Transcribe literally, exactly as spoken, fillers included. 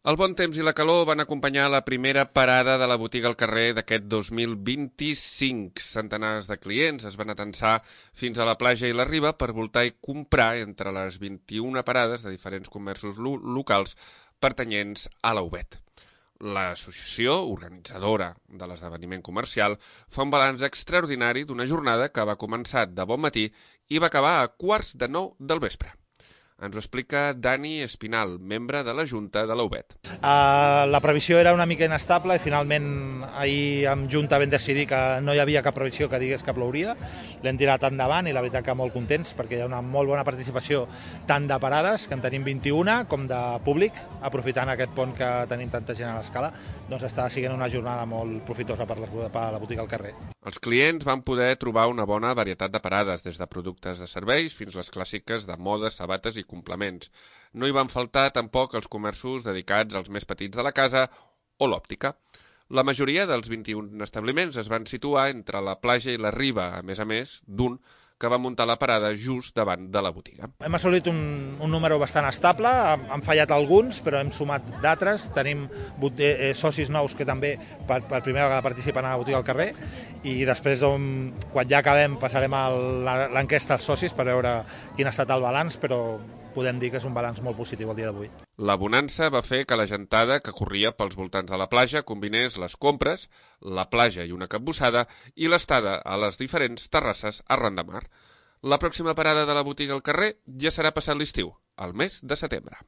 El bon temps i la calor van acompanyar la primera parada de la botiga al carrer d'aquest dos mil vint-i-cinc. Centenars de clients es van atensar fins a la platja i la riba per voltar i comprar entre les vint-i-una parades de diferents comerços lo locals pertanyents a la U B E T. L'associació organitzadora de l'esdeveniment comercial fa un balanç extraordinari d'una jornada que va començar de bon matí i va acabar a quarts de nou del vespre. Ens ho explica Dani Espinal, membre de la Junta de la U B E T. Uh, la previsió era una mica inestable i finalment ahir amb Junta vam decidir que no hi havia cap previsió que digués que plouria. L'hem tirat endavant i la veritat que molt contents perquè hi ha una molt bona participació tant de parades, que en tenim vint-i-una, com de públic, aprofitant aquest pont que tenim tanta gent a l'escala, doncs està sent una jornada molt profitosa per la, per la botiga al carrer. Els clients van poder trobar una bona varietat de parades, des de productes de serveis fins les clàssiques de moda, sabates i complements. No hi van faltar tampoc els comerços dedicats als més petits de la casa o l'òptica. La majoria dels vint-i-un establiments es van situar entre la platja i la riba, a més a més d'un que va muntar la parada just davant de la botiga. Hem assolit un, un número bastant estable, han fallat alguns, però hem sumat d'altres. Tenim eh, socis nous que també per, per primera vegada participen a la botiga al carrer i després, on, quan ja acabem, passarem a l'enquesta als socis per veure quin ha estat el balanç, però podem dir que és un balanç molt positiu el dia d'avui. La bonança va fer que la gentada que corria pels voltants de la platja combinés les compres, la platja i una capbussada i l'estada a les diferents terrasses arran de mar. La pròxima parada de la botiga al carrer ja serà passat l'estiu, al mes de setembre.